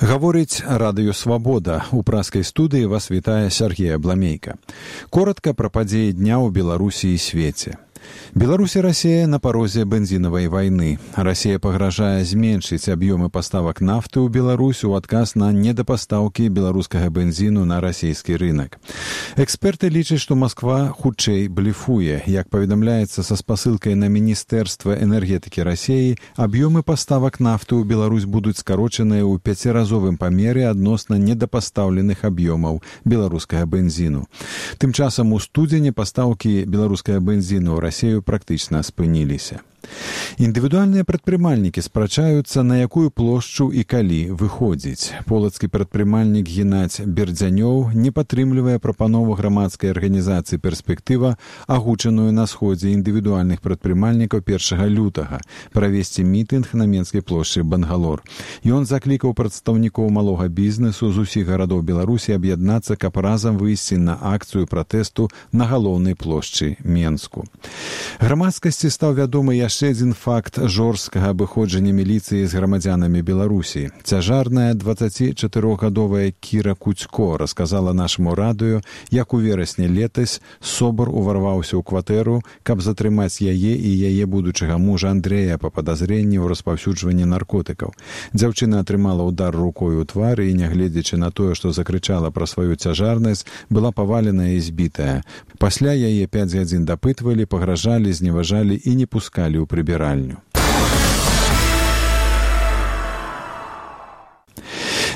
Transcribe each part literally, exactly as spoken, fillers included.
Гаворыць радыё «Свабода». У праскай студыі вас вітае Сергей Абламейка. Коротка пра падзеі дня ў Беларусі і свеце. Беларусь и Россия на порозе бензиновой войны. Россия пагражае зменшыць аб'ёмы паставак нафты ў Беларусь у адказ на недапастаўкі беларускага бензіну на расійскі рынок. Эксперты лічаць, што Москва хутчэй блефуе. Як паведамляецца са спасылкай на Міністэрства энергетыкі России, аб'ёмы паставак нафты ў Беларусь будуць скарочаныя ў пяціразовым памеры адносна недапастаўленых аб'ёмаў беларускага бензіну. Тым часам у студзені пастаўкі беларускага бензіну ў Россию практычна спыніліся. Індывідуальныя прадпрымальнікі спрачаюцца, на якую плошчу і калі выходзіць. Полацкі прадпрымальнік Геннадзь Бердзянёў не падтрымлівае прапанову грамадскай арганізацыі «Перспектыва», агучаную на сходзе індывідуальных прадпрымальнікаў першага лютага, правесці мітынг на Менскай плошчы Бангалор. Ён заклікаў прадстаўнікоў малога бізнесу з усіх гарадоў Беларусі аб'яднацца, каб разам выйсці на акцыю пратэсту на галоўнай плошчы Менску. Грамадскасці стаў вядомы яшчэ адзін факт жорсткага абыходжання міліцыі з грамадзянамі Беларусі. Цяжарная дваццацічатырохгадовая Кіра Куцько расказала нашаму радыё, як у верасні летась СОБР уварваўся ў кватэру, каб затрымаць яе і яе будучага мужа Андрэя па падазренні ў распаўсюджванні наркотыкаў. Дзяўчына атрымала ўдар рукой у твар і, нягледзячы на тое, што закрычала пра сваю цяжарнасць, была паваленая і збітая. Пасля яе пяць гадзін дапытвалі, пагражалі, зневажалі і не пускалі ў прыбіральню.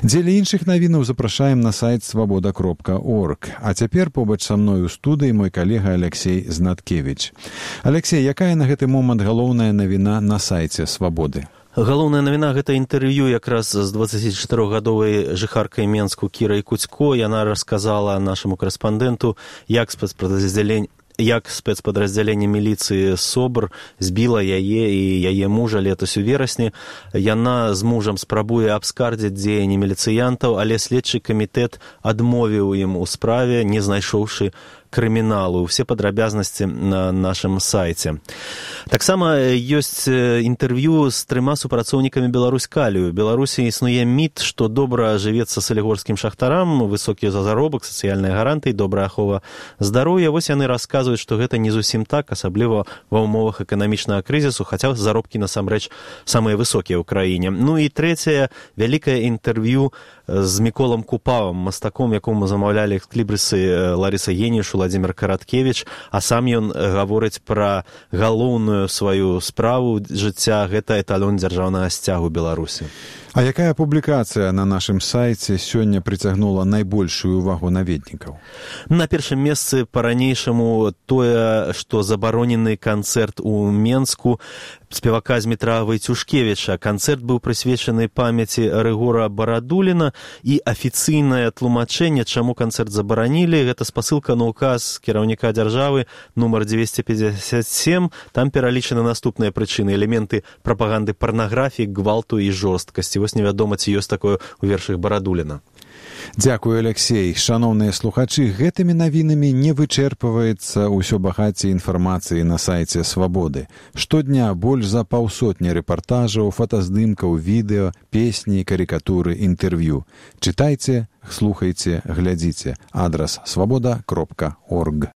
Дзеля іншых навінаў запрашаем на сайт свабода кропка орг. А цяпер побач са мной у студыі мой калега Алексей Знаткевіч. Алексей, якая на гэты момант галоўная навіна на сайце «Свабоды»? Галоўная навіна – гэта інтэрв'ю якраз з дваццацічатырохгадовай жыхаркай Менску Кірай Куцько. Яна расказала нашаму корэспандэнту, як спецпадраздзяленне як спецпадраздзяленне міліцыі СОБР збіла яе і яе мужа летась у верасні. Яна з мужам спрабуе абскардзіць дзеянні міліцыянтаў, але следчы камітэт адмовіў ім у справе, не знайшоўшы крыміналу. Все падрабязнасці на нашым сайце. Таксама ёсць інтэрв'ю з трыма супрацоўнікамі Беларуськалію. У Беларусі існуе міт, што добра жывецца салігорскім шахтарам, высокі заробак, сацыяльныя гарантыі, добрая ахова здароўя. Вось яны расказваюць, што гэта не зусім так, асабліва ва ўмовах эканамічнага крызісу, хаця заробкі насамрэч самыя высокія ў краіне. Ну і трэцяе, вялікае інтэрв'ю з Міколам Купавам, мастаком, якому замаўлялі экслібрысы Ларыса Геніш, Владзімир Караткевіч, а сам ён гаворыць пра галоўную сваю справу жыцця, гэта эталон дзяржаўнага сцягу Беларусі. А якая публікацыя на нашым сайце сёння прыцягнула найбольшую увагу наведнікаў? На першым месцы па-ранейшаму тое, што забаронены канцэрт у Менску спевака Змітра Вайцюшкевіча. Канцэрт быў прысвечаны памяці Рыгора Барадуліна, і афіцыйнае тлумачэнне, чаму канцэрт забаранілі, гэта спасылка на указ кіраўніка дзяржавы нумар дзвесце пятьдесят семь. Там пералічаны наступныя прычыны: элементы прапаганды парнаграфіі, гвалту і жорсткасці. Вось невядома, ці ёсць такое ў вершах Барадуліна. Дзякую, Алексей. Шаноўныя слухачы, гэтымі навінамі не вычэрпваецца ўсё багацце інфармацыі на сайце «Свабоды». Штодня больш за паўсотні рэпартажаў, фотаздымкаў, відэо, песні, карыкатуры, інтэрв'ю. Чытайце, слухайце, глядзіце. Адрас свабода кропка орг.